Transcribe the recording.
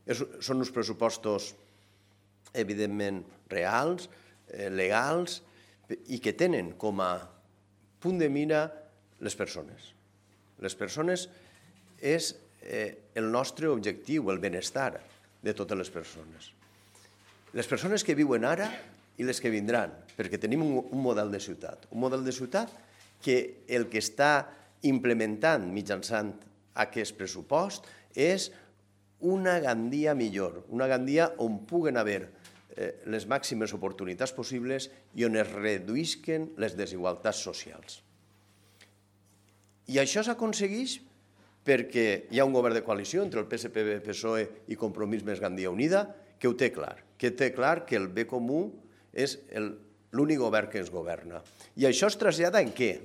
Són uns pressupostos, evidentment, reals, legals, i que tenen com a punt de mira les persones. Les persones és el nostre objectiu, el benestar de totes les persones. Les persones que viuen ara i les que vindran, perquè tenim un model de ciutat. Un model de ciutat que el que està implementant mitjançant aquest pressupost és una Gandia millor, una Gandia on puguen haver les màximes oportunitats possibles i on es reduïsquen les desigualtats socials. I això s'aconsegueix perquè hi ha un govern de coalició entre el PSPB, PSOE i Compromís més Gandia Unida que ho té clar, que el bé comú és l'únic govern que ens governa. I això es trasllada en què?